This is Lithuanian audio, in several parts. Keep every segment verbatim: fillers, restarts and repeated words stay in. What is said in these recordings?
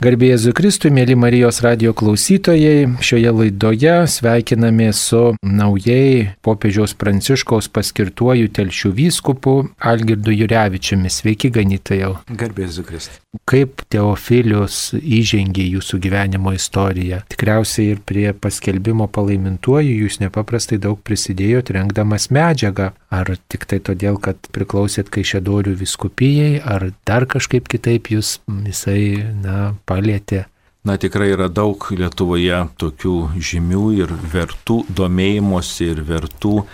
Garbė Jėzui Kristui, mėly Marijos radijo klausytojai, šioje laidoje sveikiname su naujai popiežiaus Pranciškaus paskirtuoju Telšių vyskupu Algirdu Jurevičiumi. Sveiki, ganytojau. Garbė Jėzui Kristui. Kaip Teofilius įžengė jūsų gyvenimo istoriją? Tikriausiai ir prie paskelbimo palaimintuoju jūs nepaprastai daug prisidėjote rengdamas medžiagą. Ar tik tai todėl, kad priklausėt Kaišiadorių vyskupijai, ar dar kažkaip kitaip jūs visai, na, palietė? Na, tikrai yra daug Lietuvoje tokių žymių ir vertų domėjimosi ir vertų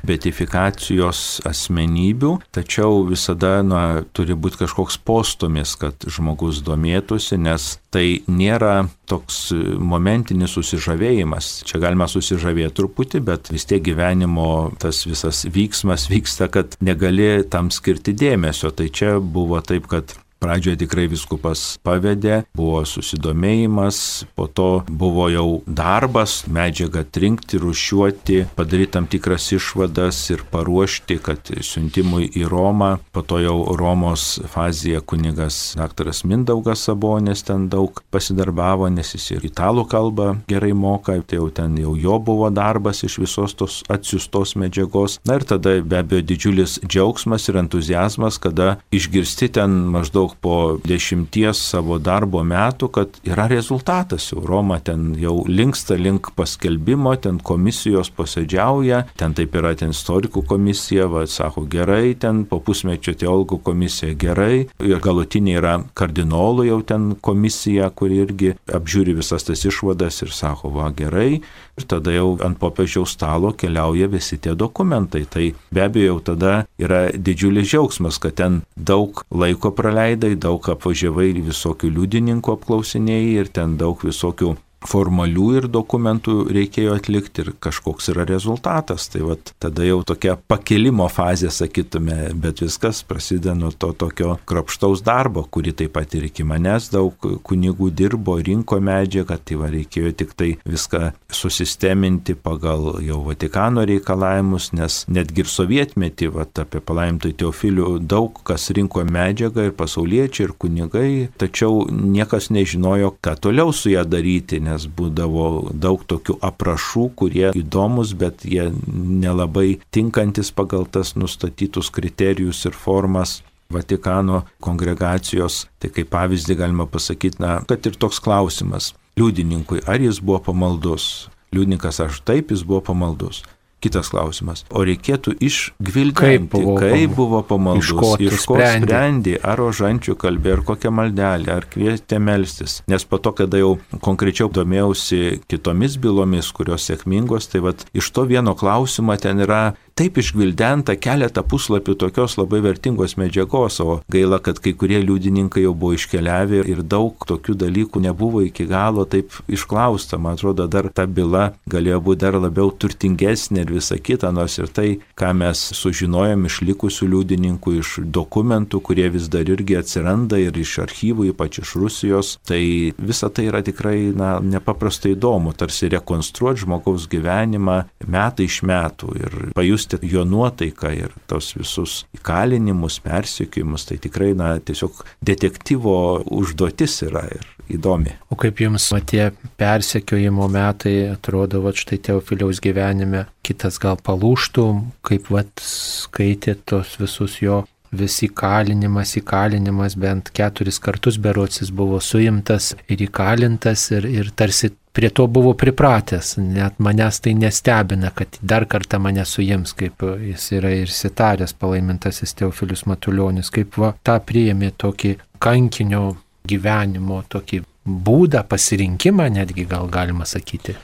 beatifikacijos asmenybių, tačiau visada, na, turi būti kažkoks postūmis, kad žmogus domėtųsi, nes tai nėra toks momentinis susižavėjimas. Čia galima susižavėti truputį, bet vis tiek gyvenimo tas visas vyksmas vyksta, kad negali tam skirti dėmesio. Tai čia buvo taip, kad pradžioje tikrai vyskupas pavedė, buvo susidomėjimas, po to buvo jau darbas, medžiagą atrinkti, rūšiuoti, padaryti tam tikras išvadas ir paruošti, kad siuntimui į Romą, po to jau Romos fazėje kunigas daktaras Mindaugas Sabonis ten daug pasidarbavo, nes jis ir italų kalbą gerai moka, tai jau ten jau jo buvo darbas iš visos tos atsiųstos medžiagos. Na ir tada be abejo didžiulis džiaugsmas ir entuziazmas, kada išgirsti ten maždaug po dešimties savo darbo metų, kad yra rezultatas. Jau Roma ten jau linksta link paskelbimo, ten komisijos posėdžiauja, ten taip yra ten istorikų komisija, va, sako gerai, ten po pusmečio teologų komisija gerai, ir galutinė yra kardinolų jau ten komisija, kuri irgi apžiūri visas tas išvadas ir sako, va gerai, ir tada jau ant popiežiaus stalo keliauja visi tie dokumentai. Tai be abejo jau tada yra didžiulis džiaugsmas, kad ten daug laiko praleidai, daug apvažiavai ir visokių liudininkų apklausinėjai ir ten daug visokių formalių ir dokumentų reikėjo atlikti ir kažkoks yra rezultatas. Tai vat tada jau tokia pakilimo fazė, sakytume, bet viskas prasideda nuo to tokio kruopštaus darbo, kurį taip pat ir iki manęs daug kunigų dirbo, rinko medžiagą, tai va reikėjo tik tai viską susisteminti pagal jau Vatikano reikalavimus, nes netgi ir sovietmetį, va apie palaimintąjį Teofilių daug kas rinko medžiagą ir pasauliečiai, ir kunigai, tačiau niekas nežinojo, ką toliau su ją daryti, nes būdavo daug tokių aprašų, kurie įdomus, bet jie nelabai tinkantis pagal tas nustatytus kriterijus ir formas Vatikano kongregacijos. Tai kaip pavyzdį galima pasakyti, na, kad ir toks klausimas liudininkui, ar jis buvo pamaldus. Liudininkas, aš taip, jis buvo pamaldus. Kitas klausimas, o reikėtų išgvildenti, kaip buvo, kaip buvo pamaldus, iš ko, iš ko sprendė, sprendė, ar rožančių kalbė, ar kokią maldelę, ar kvietė melstis. Nes po to, kada jau konkrečiau domėjausi kitomis bylomis, kurios sėkmingos, tai vat iš to vieno klausimo ten yra taip išgvildenta keletą puslapių tokios labai vertingos medžiagos, o gaila, kad kai kurie liudininkai jau buvo iškeliavę ir daug tokių dalykų nebuvo iki galo taip išklausta. Man atrodo, dar ta byla galėjo būti dar labiau turtingesnė ir visa kita, nors ir tai, ką mes sužinojom iš likusių liudininkų, iš dokumentų, kurie vis dar irgi atsiranda ir iš archyvų, ypač iš Rusijos, tai visa tai yra tikrai, na, nepaprastai įdomu, tarsi rekonstruoti žmogaus gyvenimą metai iš metų ir pajusti jo nuotaiką ir tos visus įkalinimus, persekiojimus, tai tikrai, na, tiesiog detektyvo užduotis yra ir įdomi. O kaip jums va, tie persekiojimo metai atrodo, va, štai Teofiliaus gyvenime, kitas gal palūštų, kaip va, skaitė tos visus jo vis įkalinimas, įkalinimas, bent keturis kartus berocis buvo suimtas ir įkalintas ir, ir tarsi prie to buvo pripratęs, net manęs tai nestebina, kad dar kartą mane suims, kaip jis yra ir sitaręs palaimintasis Teofilius Matulionis, kaip va tą priėmė tokį kankinio gyvenimo, tokį būdą, pasirinkimą, netgi gal galima sakyti.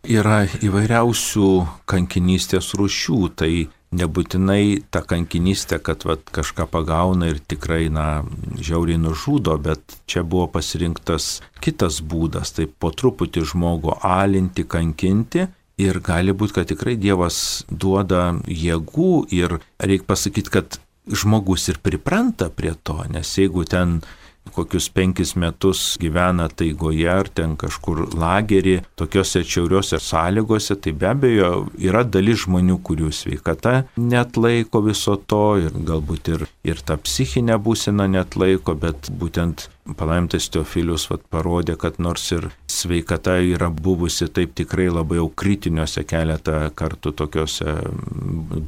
Yra įvairiausių kankinystės rūšių, tai nebūtinai ta kankinystė, kad vat, kažką pagauna ir tikrai, na, žiauriai nužudo, bet čia buvo pasirinktas kitas būdas, tai po truputį žmogų alinti, kankinti ir gali būti, kad tikrai Dievas duoda jėgų ir reikia pasakyti, kad žmogus ir pripranta prie to, nes jeigu ten kokius penkis metus gyvena taigoje ar ten kažkur lagerį, tokiuose atšiauriuose sąlygose, tai be abejo yra dalis žmonių, kurių sveikata neatlaiko viso to ir galbūt ir, ir ta psichinė būsena neatlaiko, bet būtent palaimintas Teofilius vat, parodė, kad nors ir sveikata yra buvusi taip tikrai labai jau kritiniuose keletą kartų tokiuose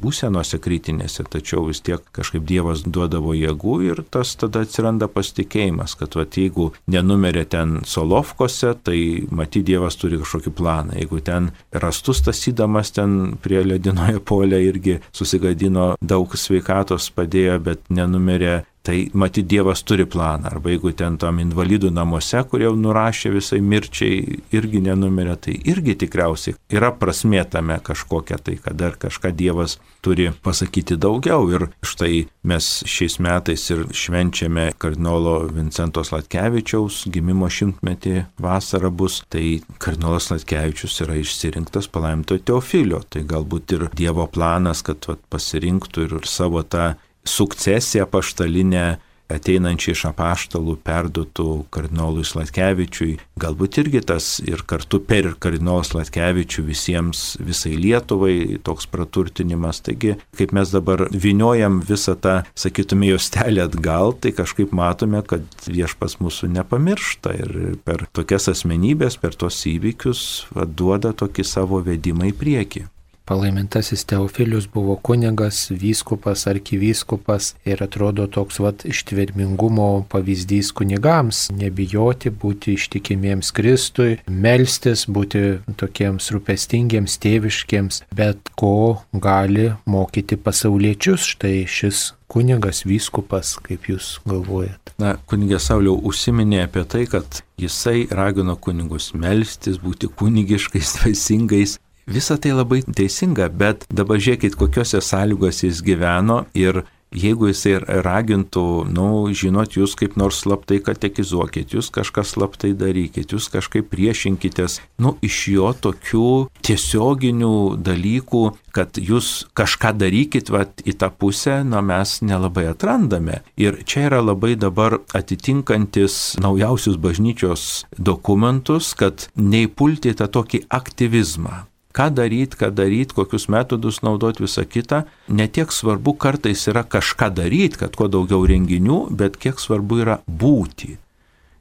būsenose kritinėse, tačiau vis tiek kažkaip Dievas duodavo jėgų ir tas tada atsiranda pasitikėjimas, kad vat, jeigu nenumerė ten Solovkose, tai matyt Dievas turi kažkokį planą. Jeigu ten rastus tasydamas ten prie ledinoje polė irgi susigadino daug sveikatos padėjo, bet nenumerė, tai matyt Dievas turi planą. Arba jeigu ten tam invalidų namuose, kur jau nurašė visai mirčiai, irgi nenumirė, tai irgi tikriausiai yra prasmė tame kažkokia, tai kad dar kažką Dievas turi pasakyti daugiau. Ir štai mes šiais metais ir švenčiame kardinolo Vincento Sladkevičiaus gimimo šimtmetį, vasara bus, tai kardinolas Sladkevičius yra išsirinktas palaimintojo Teofilio. Tai galbūt ir Dievo planas, kad vat, pasirinktų ir savo tą sukcesiją apaštalinę ateinančią iš apaštalų perduotų kardinolui Sladkevičiui. Galbūt irgi tas ir kartu per kardinolą Sladkevičių visiems, visai Lietuvai toks praturtinimas. Taigi, kaip mes dabar vyniojam visą tą, sakytume, juostelę atgal, tai kažkaip matome, kad Viešpats mūsų nepamiršta ir per tokias asmenybės, per tos įvykius duoda tokį savo vedimą į priekį. Palaimintasis Teofilius buvo kunigas, vyskupas, arkivyskupas ir atrodo toks vat ištvermingumo pavyzdys kunigams. Nebijoti, būti ištikimiems Kristui, melstis, būti tokiems rūpestingiems, tėviškiems, bet ko gali mokyti pasauliečius. Štai šis kunigas, vyskupas, kaip jūs galvojat? Na, kunigė Sauliau užsiminė apie tai, kad jisai ragino kunigus melstis, būti kunigiškais, vaisingais. Visa tai labai teisinga, bet dabar žiūrėkit, kokiose sąlygose jis gyveno ir jeigu jisai ragintų, nu, žinot, jūs kaip nors slaptai katekizuokit, jūs kažką slaptai darykit, jūs kažkaip priešinkitės, nu, iš jo tokių tiesioginių dalykų, kad jūs kažką darykit vat, į tą pusę, na, mes nelabai atrandame. Ir čia yra labai dabar atitinkantis naujausius bažnyčios dokumentus, kad neįpulti tą tokį aktyvizmą. Ką daryti, ką daryti, kokius metodus naudoti, visą kitą. Ne tiek svarbu kartais yra kažką daryti, kad kuo daugiau renginių, bet kiek svarbu yra būti.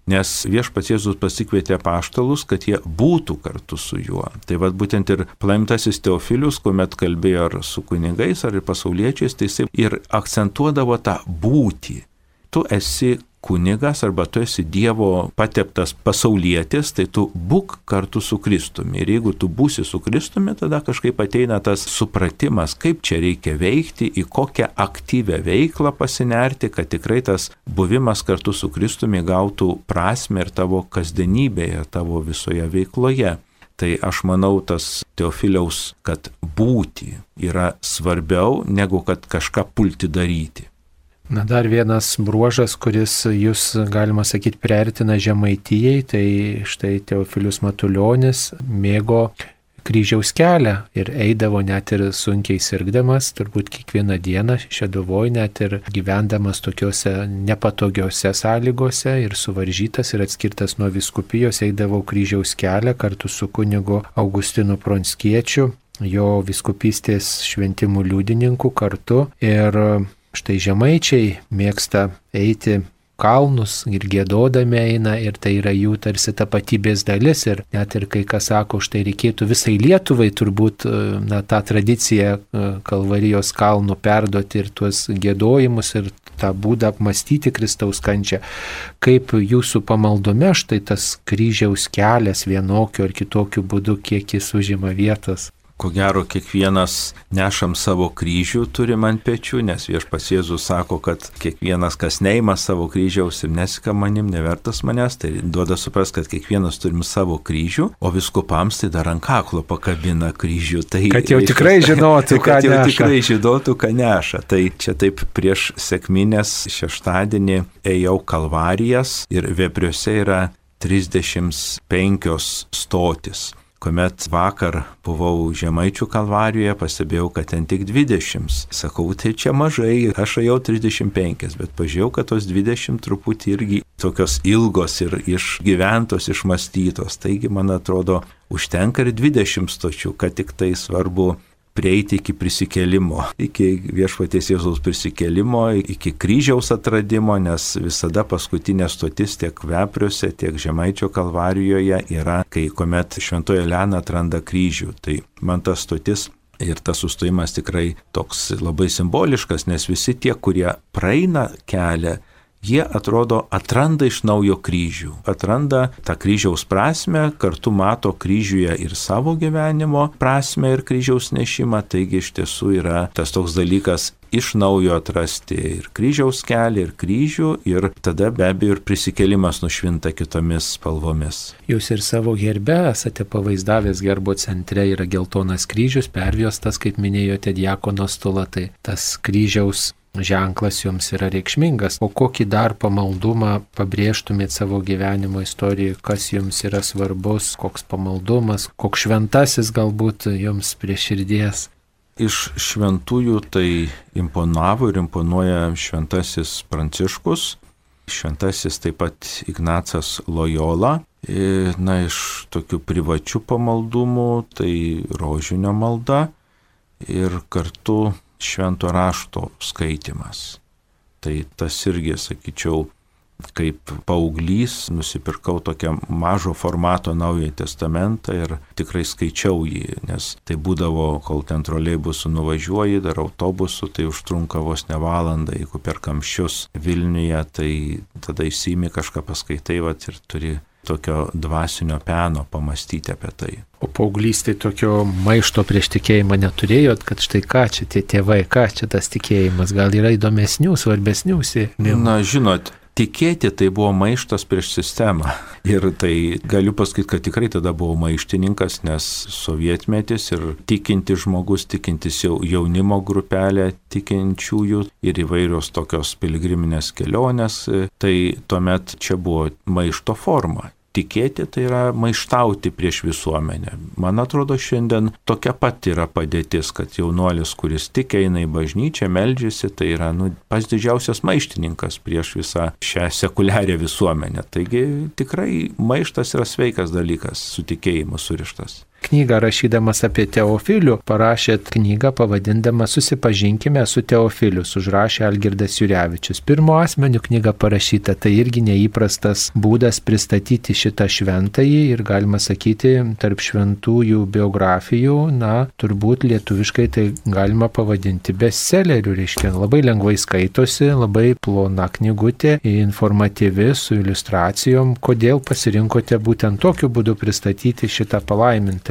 Nes Viešpats Jėzus pasikvietė apaštalus, kad jie būtų kartu su juo. Tai vad būtent ir palaimintasis Teofilius, kuomet kalbėjo ar su kunigais, ar ir pasauliečiais, tai jis ir akcentuodavo tą būtį. Tu esi kunigas arba tu esi Dievo pateptas pasaulietis, tai tu būk kartu su Kristumi. Ir jeigu tu būsi su Kristumi, tada kažkaip ateina tas supratimas, kaip čia reikia veikti, į kokią aktyvę veiklą pasinerti, kad tikrai tas buvimas kartu su Kristumi gautų prasmę ir tavo kasdienybėje, tavo visoje veikloje. Tai aš manau, tas Teofiliaus, kad būti yra svarbiau, negu kad kažką pulti daryti. Na, dar vienas bruožas, kuris jūs, galima sakyti, priartina Žemaitijai, tai štai Teofilius Matulionis mėgo kryžiaus kelią ir eidavo net ir sunkiai sirgdamas, turbūt kiekvieną dieną Šeduvoj, net ir gyvendamas tokiuose nepatogiuose sąlygose ir suvaržytas ir atskirtas nuo vyskupijos, eidavo kryžiaus kelią kartu su kunigu Augustinu Pronskiečiu, jo vyskupystės šventimų liudininku kartu. Ir štai žemaičiai mėgsta eiti kalnus ir giedodami eina ir tai yra jų tarsi tapatybės dalis ir net ir kai kas sako, štai reikėtų visai Lietuvai turbūt na, tą tradiciją Kalvarijos kalnų perduoti ir tuos giedojimus ir tą būdą apmastyti Kristaus kančią. Kaip jūsų pamaldume štai tas kryžiaus kelias vienokiu ar kitokiu būdu, kiek jis užima vietos? Ko gero, kiekvienas nešam savo kryžių turim ant pečių, nes Viešpats Jėzus sako, kad kiekvienas, kas neima savo kryžiaus ir nesika manim, nevertas manęs, tai duoda supras, kad kiekvienas turim savo kryžių, o vyskupams tai dar ant kaklo pakabina kryžių. Tai, kad jau tikrai žinotų, ką kad jau neša. tikrai žinotų, ką neša. Tai čia taip prieš sekmines šeštadienį ėjau Kalvarijas ir Vepriuose yra trisdešimt penkios stotis, kuomet vakar buvau Žemaičių Kalvarijoje, pastebėjau, kad ten tik dvidešimt. Sakau, tai čia mažai, aš ėjau trisdešimt penki, bet pažiūrėjau, kad tos dvidešimt truputį irgi tokios ilgos ir išgyventos, išmastytos. Taigi, man atrodo, užtenka ir dvidešimt stočių, kad tik tai svarbu prieiti iki prisikėlimo, iki Viešpaties Jėzaus prisikėlimo, iki kryžiaus atradimo, nes visada paskutinė stotis tiek Vepriuose, tiek Žemaičio Kalvarijoje yra, kai kuomet Šventoji Elena atranda kryžių. Tai man ta stotis ir tas sustojimas tikrai toks labai simboliškas, nes visi tie, kurie praeina kelią, jie atrodo atranda iš naujo kryžių, atranda tą kryžiaus prasme, kartu mato kryžiuje ir savo gyvenimo prasme ir kryžiaus nešimą, taigi iš tiesų yra tas toks dalykas iš naujo atrasti ir kryžiaus kelią, ir kryžių, ir tada be abejo ir prisikėlimas nušvinta kitomis spalvomis. Jūs ir savo herbe esate pavaizdavęs, gerbo centre yra geltonas kryžius, pervjostas, kaip minėjote, diakono stulą, tai tas kryžiaus ženklas jums yra reikšmingas. O kokį dar pamaldumą pabrėžtumėt savo gyvenimo istorijoje, kas jums yra svarbus, koks pamaldumas, koks šventasis galbūt jums prie širdies? Iš šventųjų tai imponavo ir imponuoja šventasis Pranciškus, šventasis taip pat Ignacas Lojola. Na, iš tokių privačių pamaldumų tai rožinio malda ir kartu švento rašto skaitimas. Tai tas irgi, sakyčiau, kaip paauglys nusipirkau tokią mažo formato Naująjį testamentą ir tikrai skaičiau jį, nes tai būdavo, kol ten troleibusu nuvažiuoji, dar autobusu, tai užtrunka vos ne valandą, jeigu per kamščius Vilniuje, tai tada įsimi kažką paskaitai, vat, ir turi tokio dvasinio peno pamastyti apie tai. O paauglystėje tokio maišto prieš tikėjimą neturėjot, kad štai ką čia tie tėvai, ką čia tas tikėjimas, gal yra įdomesnių, svarbesnių sėkmių? Na, žinot, tikėti tai buvo maištas prieš sistemą. Ir tai galiu pasakyti, kad tikrai tada buvau maištininkas, nes sovietmetis ir tikinti žmogus, tikintis jau jaunimo grupelė tikinčiųjų ir įvairios tokios piligriminės kelionės, tai tuomet čia buvo maišto forma. Tikėti tai yra maištauti prieš visuomenę. Man atrodo, šiandien tokia pat yra padėtis, kad jaunuolis, kuris tik eina į bažnyčią, meldžiasi, tai yra nu, pats didžiausias maištininkas prieš visą šią sekuliarią visuomenę. Taigi tikrai maištas yra sveikas dalykas, su tikėjimu surištas. Knygą rašydamas apie Teofilių parašėt knygą pavadindama Susipažinkime su Teofiliu, užrašė Algirdas Jurevičius. Pirmo asmeniu knyga parašyta, tai irgi neįprastas būdas pristatyti šitą šventąjį ir galima sakyti, tarp šventųjų biografijų, na, turbūt lietuviškai tai galima pavadinti bestselleriu, reiškia, labai lengvai skaitosi, labai plona knygutė, informatyvi, su iliustracijom. Kodėl pasirinkote būtent tokiu būdu pristatyti šitą palaimintą?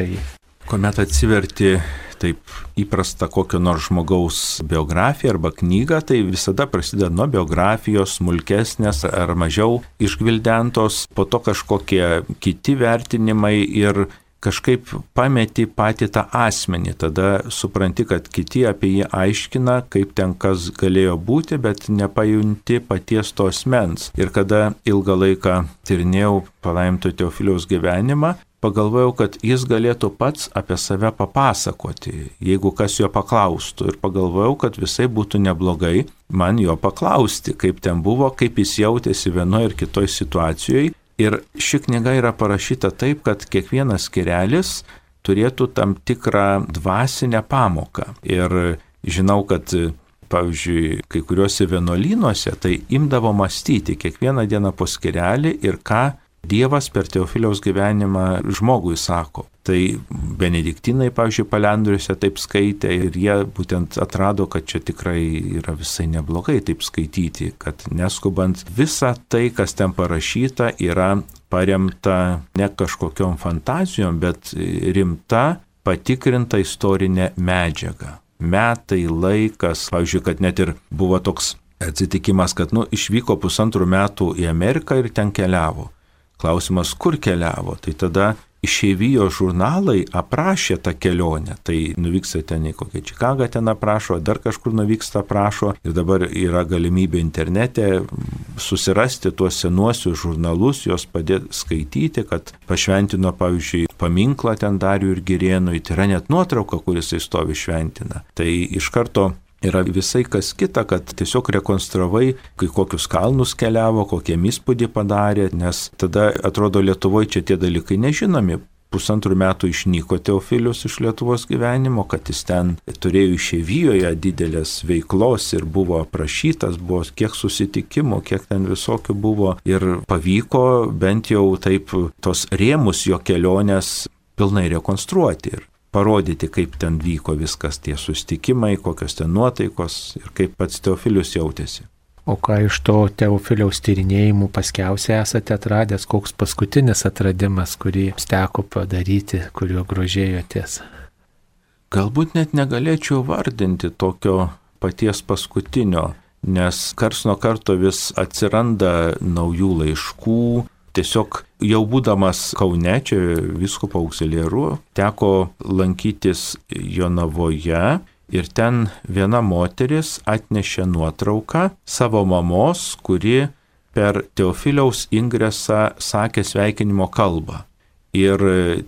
Kuomet atsiverti taip įprasta kokio nors žmogaus biografiją arba knygą, tai visada prasideda nuo biografijos, smulkesnės ar mažiau išgvildentos, po to kažkokie kiti vertinimai ir kažkaip pameti patį tą asmenį, tada supranti, kad kiti apie jį aiškina, kaip ten kas galėjo būti, bet nepajunti paties to asmens. Ir kada ilgą laiką tyrinėjau palaiminto Teofiliaus gyvenimą, pagalvojau, kad jis galėtų pats apie save papasakoti, jeigu kas jo paklaustų. Ir pagalvojau, kad visai būtų neblogai man jo paklausti, kaip ten buvo, kaip jis jautėsi vienoje ir kitoje situacijoje. Ir ši knyga yra parašyta taip, kad kiekvienas skyrelis turėtų tam tikrą dvasinę pamoką. Ir žinau, kad pavyzdžiui, kai kuriuose vienuolynuose tai imdavo mąstyti kiekvieną dieną po skyrelį ir ką Dievas per Teofiliaus gyvenimą žmogui sako. Tai benediktinai, pavyzdžiui, Palendriuose taip skaitė ir jie būtent atrado, kad čia tikrai yra visai neblogai taip skaityti, kad neskubant visa tai, kas ten parašyta, yra paremta ne kažkokiom fantazijom, bet rimta, patikrinta istorinė medžiaga. Metai, laikas, pavyzdžiui, kad net ir buvo toks atsitikimas, kad nu, išvyko pusantrų metų į Ameriką ir ten keliavo. Klausimas, kur keliavo? Tai tada išeivijos žurnalai aprašė tą kelionę. Tai nuvyksta ten į kokią Čikagą ten aprašo, dar kažkur nuvyksta aprašo ir dabar yra galimybė internete susirasti tuos senuosius žurnalus, juos padėti skaityti, kad pašventino, pavyzdžiui, paminklą ten Dariui ir Girėnui, tai yra net nuotrauka, kuris jis stovi šventina. Tai iš karto yra visai kas kita, kad tiesiog rekonstravai, kai kokius kalnus keliavo, kokie įspūdį padarė, nes tada atrodo Lietuvoje čia tie dalykai nežinomi. Pusantrų metų išnyko Teofilius iš Lietuvos gyvenimo, kad jis ten turėjo išeivijoje didelės veiklos ir buvo aprašytas, buvo kiek susitikimų, kiek ten visokių buvo ir pavyko bent jau taip tos rėmus jo kelionės pilnai rekonstruoti ir parodyti, kaip ten vyko viskas, tie susitikimai, kokios ten nuotaikos ir kaip pats Teofilius jautėsi. O ką iš to Teofiliaus tyrinėjimų paskiausiai esate atradęs, koks paskutinis atradimas, kurį teko padaryti, kuriuo grožėjotės? Galbūt net negalėčiau vardinti tokio paties paskutinio, nes karts nuo karto vis atsiranda naujų laiškų. Tiesiog jau būdamas Kaune, čia vyskupo auxiliaru, teko lankytis Jonavoje. Ir ten viena moteris atnešė nuotrauką savo mamos, kuri per Teofiliaus ingresą sakė sveikinimo kalbą. Ir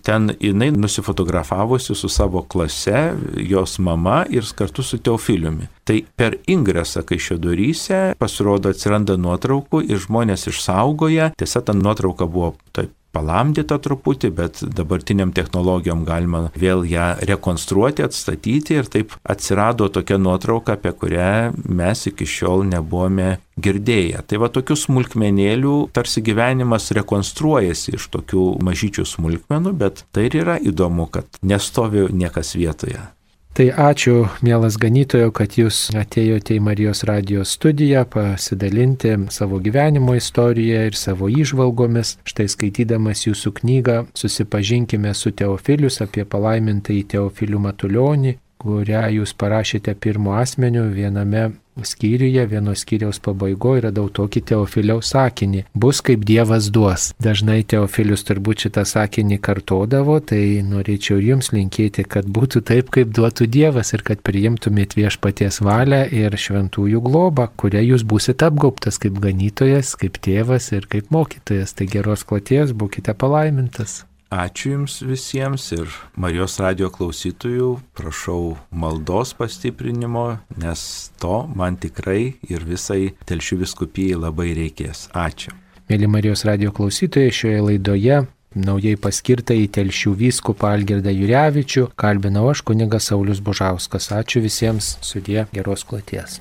ten jinai nusifotografavosi su savo klase, jos mama ir kartu su Teofiliumi. Tai per ingresą Kaišiadoryse pasirodo atsiranda nuotraukų ir žmonės išsaugoja. Tiesa, ta nuotrauka buvo taip palamdyta truputį, bet dabartiniam technologijom galima vėl ją rekonstruoti, atstatyti ir taip atsirado tokia nuotrauka, apie kurią mes iki šiol nebuvome girdėję. Tai va tokių smulkmenėlių tarsi gyvenimas rekonstruojasi iš tokių mažyčių smulkmenų, bet tai ir yra įdomu, kad nestovi niekas vietoje. Tai ačiū, mielas ganytojo, kad jūs atėjote į Marijos radijos studiją pasidalinti savo gyvenimo istoriją ir savo įžvalgomis. Štai skaitydamas jūsų knygą Susipažinkime su Teofilius apie palaimintąjį Teofilių Matulionį, kurią jūs parašėte pirmu asmeniu viename skyriuje, vieno skyriaus pabaigoje radau tokį Teofiliaus sakinį: bus kaip Dievas duos. Dažnai Teofilius turbūt šitą sakinį kartodavo, tai norėčiau jums linkėti, kad būtų taip, kaip duotų Dievas ir kad priimtumėt viešpaties valią ir šventųjų globą, kuria jūs būsite apgaubtas kaip ganytojas, kaip tėvas ir kaip mokytojas. Tai geros kloties, būkite palaimintas. Ačiū Jums visiems ir Marijos radijo klausytojų, prašau maldos pastiprinimo, nes to man tikrai ir visai Telšių vyskupijai labai reikės. Ačiū. Mėly Marijos radijo klausytojai, šioje laidoje naujai paskirtą į Telšių vyskupą Algirdą Jurevičių kalbinau aš, kunigas Saulius Bužauskas. Ačiū visiems, sudie, geros kloties.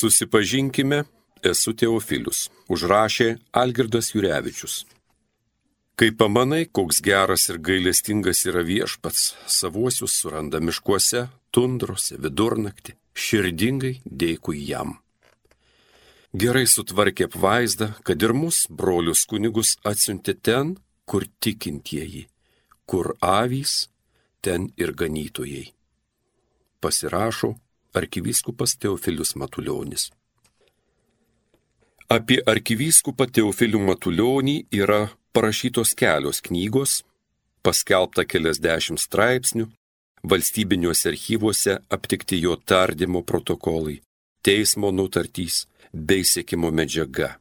Susipažinkime, esu Teofilius, užrašė Algirdas Jurevičius. Kai pamanai, koks geras ir gailestingas yra viešpats, savuosius suranda miškuose, tundrose, vidurnaktį, širdingai dėkui jam. Gerai sutvarkė apvaizdą, kad ir mus, brolius kunigus, atsiuntė ten, kur tikintieji, kur avys, ten ir ganytojai. Pasirašo arkivyskupas Teofilius Matulionis. Apie arkivyskupą Teofilių Matulionį yra parašytos kelios knygos, paskelbta keliasdešimt straipsnių, valstybiniuose archyvuose aptikti jo tardymo protokolai, teismo nutartys bei sekimo medžiaga.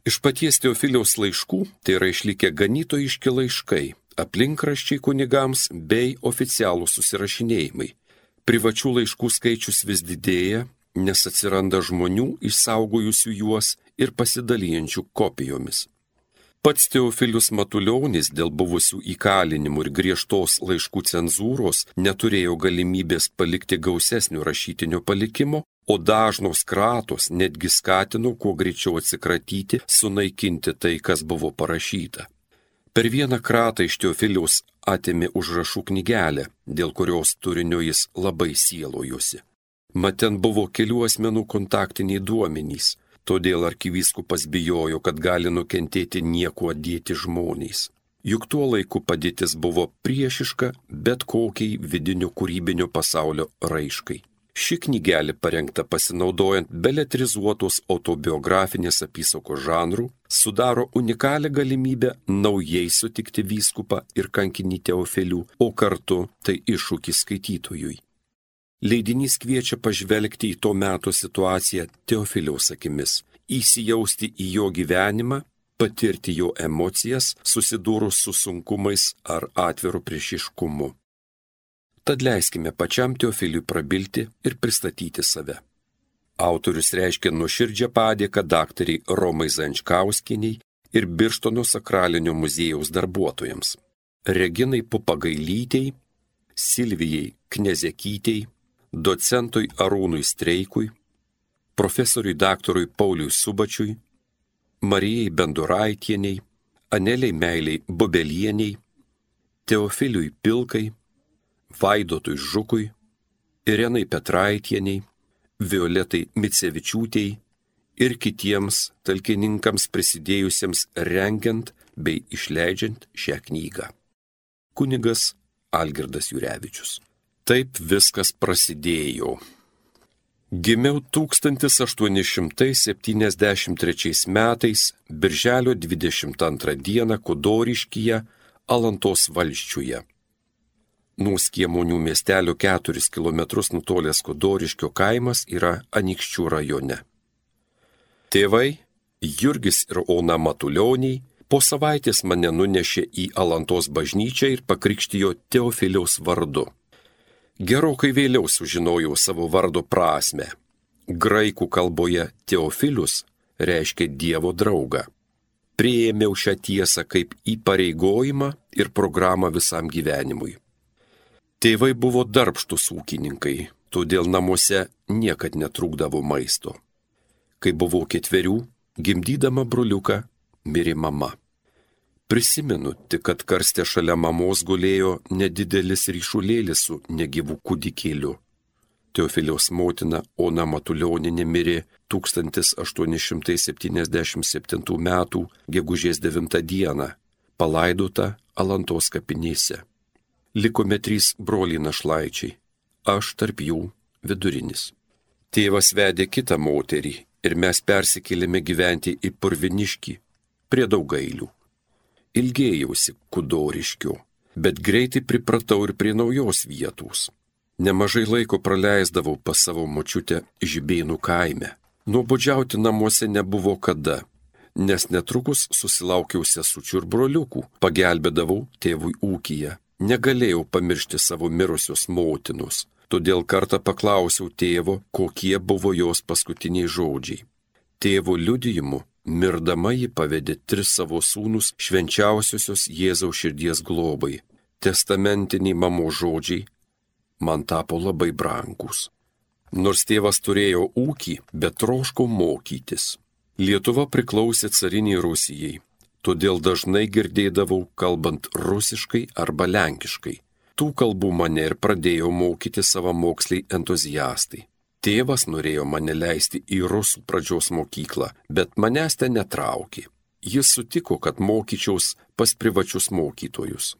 Iš paties Teofiliaus laiškų tai yra išlikę ganytojiški laiškai, aplinkraščiai kunigams bei oficialų susirašinėjimai. Privačių laiškų skaičius vis didėja, nes atsiranda žmonių išsaugojusių juos ir pasidalijančių kopijomis. Pats Teofilius Matulionis dėl buvusių įkalinimų ir griežtos laiškų cenzūros neturėjo galimybės palikti gausesnio rašytinio palikimo, o dažnos kratos netgi skatino kuo greičiau atsikratyti, sunaikinti tai, kas buvo parašyta. Per vieną kratą iš Teofiliaus atėmė užrašų knygelę, dėl kurios turinio jis labai sielojosi. Mat ten buvo kelių asmenų kontaktiniai duomenys, todėl arkivyskupas bijojo, kad gali nukentėti niekuo dėti žmonės. Juk tuo laiku padėtis buvo priešiška bet kokiai vidinio kūrybinio pasaulio raiškai. Ši knygelė parengta pasinaudojant beletrizuotos autobiografinės apysakos žanrų, sudaro unikalią galimybę naujai sutikti vyskupą ir kankinį Teofilių, o kartu tai iššūkis skaitytojui. Leidinys kviečia pažvelgti į to meto situaciją Teofiliaus akimis, įsijausti į jo gyvenimą, patirti jo emocijas, susidūrus su sunkumais ar atviru priešiškumu. Tad leiskime pačiam Teofiliui prabilti ir pristatyti save. Autorius reiškia nuoširdžią padėką daktariai Romai Zančkauskienei ir Birštono sakralinio muziejaus darbuotojams, Reginai Pupagailytei, Silvijai Knezekytei, docentui Arūnui Streikui, profesoriui daktarui Pauliui Subačiui, Marijai Benduraitieniai, Aneliai Meiliai Bubelieniai, Teofiliui Pilkai, Vaidotui Žukui, Irenai Petraitieniai, Violetai Micevičiūtei ir kitiems talkininkams prisidėjusiems rengiant bei išleidžiant šią knygą. Kunigas Algirdas Jurevičius. Taip viskas prasidėjo. Gimiau tūkstantis aštuoni šimtai septyniasdešimt trečiais metais, birželio dvidešimt antrą dieną Kudoriškyje, Alantos valsčiuje. Nuo Skiemonių miestelio keturis kilometrus nutolęs Kudoriškio kaimas yra Anykščių rajone. Tėvai, Jurgis ir Ona Matulioniai, po savaitės mane nunešė į Alantos bažnyčią ir pakrikštijo Teofiliaus vardu. Gerokai vėliau sužinojau savo vardo prasmę. Graikų kalboje Teofilius reiškia Dievo draugą. Priėmiau šią tiesą kaip įpareigojimą ir programą visam gyvenimui. Tėvai buvo darbštūs ūkininkai, todėl namuose niekad netrūkdavo maisto. Kai buvau ketverių, gimdydama broliuką, mirė mama. Prisimenu tik, kad karste šalia mamos gulėjo nedidelis ryšulėlis su negyvu kūdikėliu. Teofiliaus motina Ona Matulioninė mirė tūkstantis aštuoni šimtai septyniasdešimt septintų metų gegužės devintą dieną, palaidota Alantos kapinėse. Likome trys broliai našlaičiai, aš tarp jų vidurinis. Tėvas vedė kitą moterį ir mes persikėlėme gyventi į Purviniškį, prie Daugailių. Ilgėjausi Kudoriškio, bet greitai pripratau ir prie naujos vietos. Nemažai laiko praleisdavau pas savo močiutę Žibėnų kaime. Nuobodžiauti namuose nebuvo kada, nes netrukus susilaukiau sesučių ir broliukų, pagelbėdavau tėvui ūkyje. Negalėjau pamiršti savo mirusios motinos, todėl kartą paklausiau tėvo, kokie buvo jos paskutiniai žodžiai. Tėvo liudijimu, mirdama ji pavedė tris savo sūnus švenčiausiosios Jėzaus širdies globai. Testamentiniai mamos žodžiai man tapo labai brangus. Nors tėvas turėjo ūkį, bet troško mokytis. Lietuva priklausė cariniai Rusijai. Todėl dažnai girdėdavau kalbant rusiškai arba lenkiškai. Tų kalbų mane ir pradėjo mokyti savamoksliai entuziastai. Tėvas norėjo mane leisti į rusų pradžios mokyklą, bet manęs ten netraukė. Jis sutiko, kad mokyčiaus pas privačius mokytojus.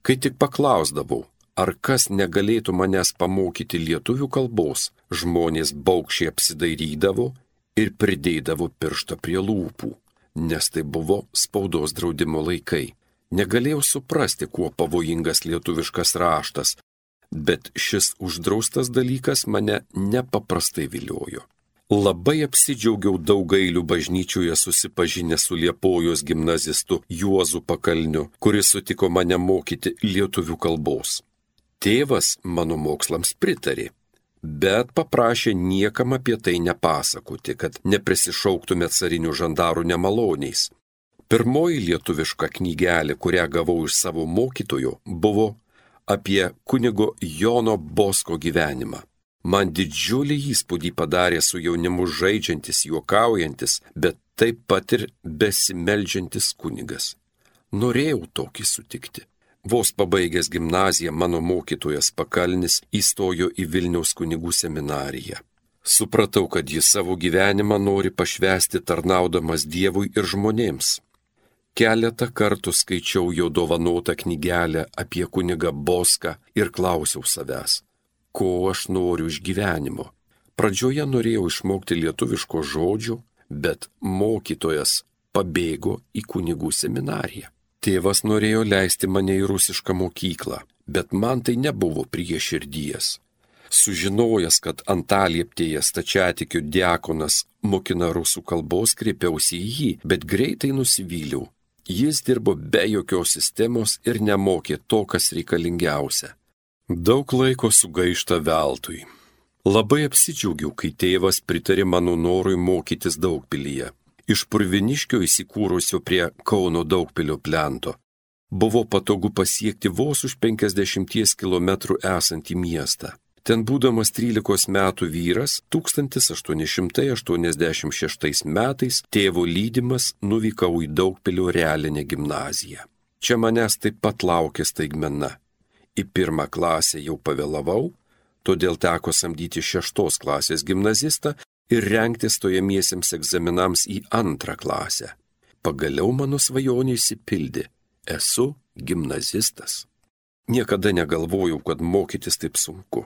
Kai tik paklausdavau, ar kas negalėtų manęs pamokyti lietuvių kalbos, žmonės baugščiai apsidairydavo ir pridėdavo pirštą prie lūpų. Nes tai buvo spaudos draudimo laikai. Negalėjau suprasti, kuo pavojingas lietuviškas raštas, bet šis uždraustas dalykas mane nepaprastai viliojo. Labai apsidžiaugiau Daugailių bažnyčioje susipažinę su Liepojos gimnazistu Juozu Pakalniu, kuris sutiko mane mokyti lietuvių kalbos. Tėvas mano mokslams pritarė, bet paprašė niekam apie tai nepasakoti, kad neprisišauktume carinių žandarų nemaloniais. Pirmoji lietuviška knygelė, kurią gavau iš savo mokytojo, buvo apie kunigo Jono Bosko gyvenimą. Man didžiulį įspūdį padarė su jaunimu žaidžiantis, juokaujantis, bet taip pat ir besimeldžiantis kunigas. Norėjau tokį sutikti. Vos pabaigęs gimnaziją mano mokytojas Pakalnis įstojo į Vilniaus kunigų seminariją. Supratau, kad jis savo gyvenimą nori pašvęsti tarnaudamas Dievui ir žmonėms. Keletą kartų skaičiau jo dovanotą knygelę apie kunigą Boską ir klausiau savęs, ko aš noriu iš gyvenimo. Pradžioje norėjau išmokti lietuviško žodžio, bet mokytojas pabėgo į kunigų seminariją. Tėvas norėjo leisti mane į rusišką mokyklą, bet man tai nebuvo prie širdies. Sužinojęs, kad Antalieptėje stačiatikių diakonas mokina rusų kalbos, kreipiausi į jį, bet greitai nusivyliau. Jis dirbo be jokios sistemos ir nemokė to, kas reikalingiausia. Daug laiko sugaišta veltui. Labai apsidžiaugiau, kai tėvas pritarė mano norui mokytis Daugpilyje. Iš Purviniškio įsikūrusio prie Kauno Daugpilio plento buvo patogu pasiekti vos už penkiasdešimties kilometrų esantį miestą. Ten būdamas trylikos metų vyras, tūkstantis aštuoni šimtai aštuoniasdešimt šeštais metais tėvo lydimas nuvykau į Daugpilio realinę gimnaziją. Čia manęs taip pat laukė staigmena. Į pirmą klasę jau pavėlavau, todėl teko samdyti šeštos klasės gimnazistą ir rengti stojamiesiems egzaminams į antrą klasę. Pagaliau mano svajonė išsipildė. Esu gimnazistas. Niekada negalvojau, kad mokytis taip sunku.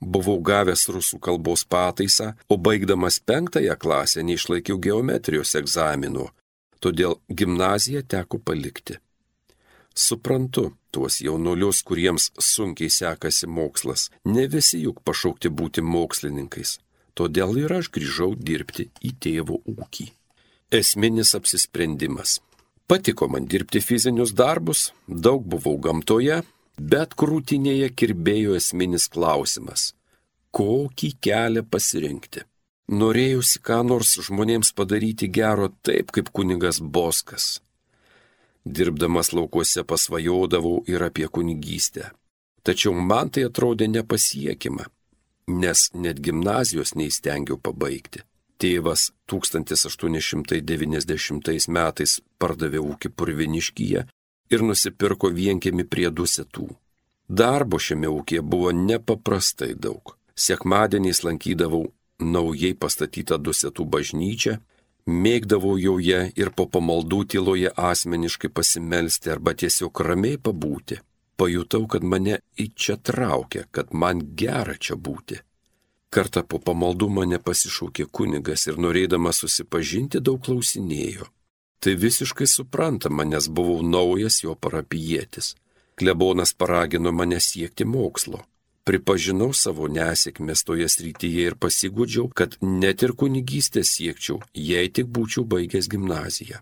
Buvau gavęs rusų kalbos pataisą, o baigdamas penktąją klasę neišlaikiau geometrijos egzamino, todėl gimnaziją teko palikti. Suprantu tuos jaunuolius, kuriems sunkiai sekasi mokslas, ne visi juk pašaukti būti mokslininkais, todėl ir aš grįžau dirbti į tėvo ūkį. Esminis apsisprendimas. Patiko man dirbti fizinius darbus, daug buvau gamtoje, bet krūtinėje kirbėjo esminis klausimas – kokį kelią pasirinkti? Norėjusi ką nors žmonėms padaryti gero taip, kaip kunigas Boskas. Dirbdamas laukuose pasvajodavau ir apie kunigystę. Tačiau man tai atrodė nepasiekima, nes net gimnazijos neįstengiau pabaigti. Tėvas tūkstantis aštuoni šimtai devyniasdešimtais metais pardavė ūkį Purviniškyje ir nusipirko vienkiemį prie Dusetų. Darbo šiame ūkyje buvo nepaprastai daug. Sekmadieniais lankydavau naujai pastatytą Dusetų bažnyčią, mėgdavau joje ir po pamaldų tyloje asmeniškai pasimelsti arba tiesiog ramiai pabūti. Pajutau, kad mane į čia traukia, kad man gera čia būti. Kartą po pamaldų mane pasišaukė kunigas ir norėdamas susipažinti daug klausinėjo. Tai visiškai suprantama, nes buvau naujas jo parapijietis. Klebonas paragino mane siekti mokslo. Pripažinau savo nesėkmės toje srityje ir pasigūdžiau, kad net ir kunigystę siekčiau, jei tik būčiau baigęs gimnaziją.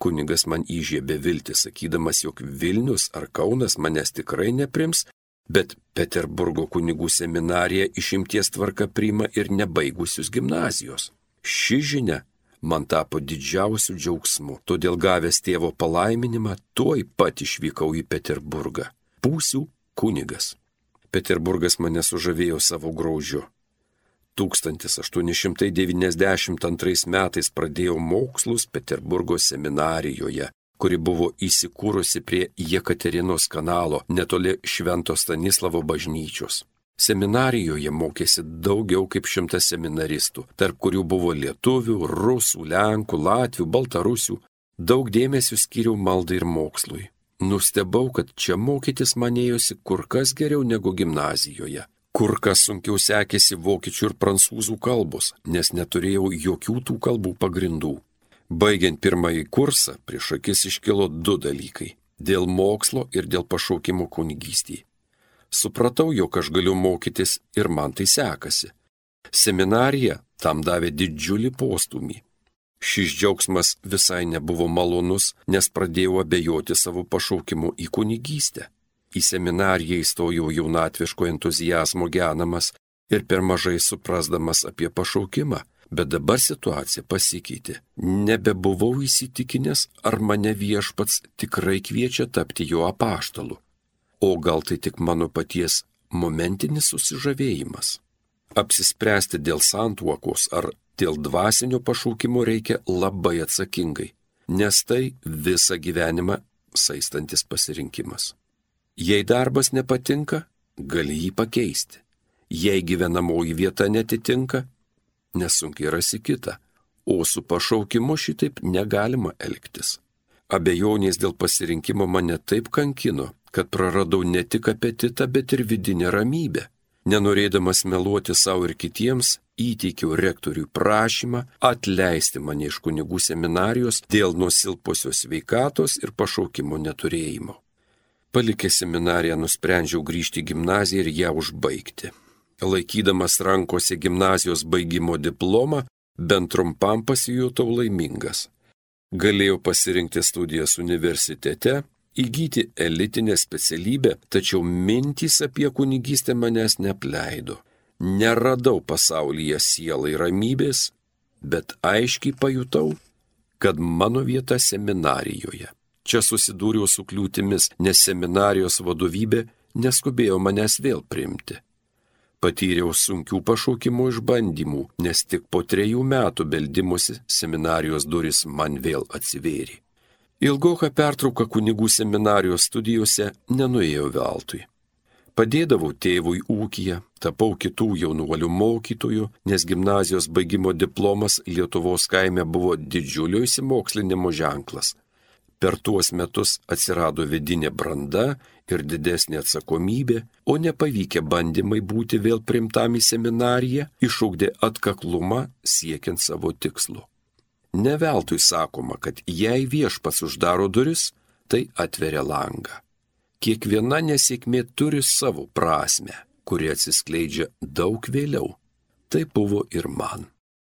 Kunigas man įžiebė viltį, sakydamas, jog Vilnius ar Kaunas manęs tikrai neprims, bet Peterburgo kunigų seminarija išimties tvarka priima ir nebaigusius gimnazijos. Ši žinia man tapo didžiausiu džiaugsmu, todėl gavęs tėvo palaiminimą, tuoj pat išvykau į Peterburgą. Būsiu kunigas. Peterburgas mane sužavėjo savo grožiu. tūkstantis aštuoni šimtai devyniasdešimt antrais metais pradėjau mokslus Peterburgo seminarijoje, kuri buvo įsikūrusi prie Jekaterinos kanalo netoli Švento Stanislavo bažnyčios. Seminarijoje mokėsi daugiau kaip šimtas seminaristų, tarp kurių buvo lietuvių, rusų, lenkų, latvių, baltarusių. Daug dėmesio skyriau maldai ir mokslui. Nustebau, kad čia mokytis man ėjosi kur kas geriau negu gimnazijoje. Kur kas sunkiau sekėsi vokiečių ir prancūzų kalbos, nes neturėjau jokių tų kalbų pagrindų. Baigiant pirmąjį kursą, prieš akis iškilo du dalykai – dėl mokslo ir dėl pašaukimo kunigystėje. Supratau, jog aš galiu mokytis ir man tai sekasi. Seminarija tam davė didžiulį postūmį. Šis džiaugsmas visai nebuvo malonus, nes pradėjau abejoti savo pašaukimu į kunigystę. Į seminariją įstojau jaunatviško entuziazmo genamas ir per mažai suprasdamas apie pašaukimą, bet dabar situacija pasikeitė. Nebebuvau įsitikinęs, ar mane viešpats tikrai kviečia tapti jo apaštalu. O gal tai tik mano paties momentinis susižavėjimas. Apsispręsti dėl santuokos ar dėl dvasinio pašaukimo reikia labai atsakingai, nes tai visą gyvenimą saistantis pasirinkimas. Jei darbas nepatinka, gali jį pakeisti. Jei gyvenamoji vieta netitinka, nesunkiai rasi kitą, o su pašaukimu šitaip negalima elgtis. Abejonės dėl pasirinkimo mane taip kankino, kad praradau ne tik apetitą, bet ir vidinę ramybę. Nenorėdamas meluoti savo ir kitiems, įteikiau rektoriui prašymą atleisti mane iš kunigų seminarijos dėl nusilpusios sveikatos ir pašaukimo neturėjimo. Palikęs seminariją nusprendžiau grįžti į gimnaziją ir ją užbaigti. Laikydamas rankose gimnazijos baigimo diplomą, bent trumpam pasijutau laimingas. Galėjau pasirinkti studijas universitete, įgyti elitinę specialybę, tačiau mintys apie kunigystę manęs neapleido. Neradau pasaulyje sielai ramybės, bet aiškiai pajutau, kad mano vieta seminarijoje. Čia susidūriau su kliūtimis, nes seminarijos vadovybė neskubėjo manęs vėl priimti. Patyriau sunkių pašaukimo išbandymų, nes tik po trejų metų beldimusi seminarijos duris man vėl atsivėrė. Ilgoka pertrauka kunigų seminarijos studijose nenuėjo veltui. Padėdavau tėvui ūkyje, tapau kitų jaunuolių mokytojų, nes gimnazijos baigimo diplomas Lietuvos kaime buvo didžiulio išsimokslinimo ženklas. Per tuos metus atsirado vidinė branda ir didesnė atsakomybė, o nepavykę bandymai būti vėl priimtam į seminariją išugdė atkaklumą siekiant savo tikslo. Ne veltui sakoma, kad jei viešpats uždaro duris, tai atveria langą. Kiekviena nesėkmė turi savo prasmę, kuri atsiskleidžia daug vėliau. Tai buvo ir man.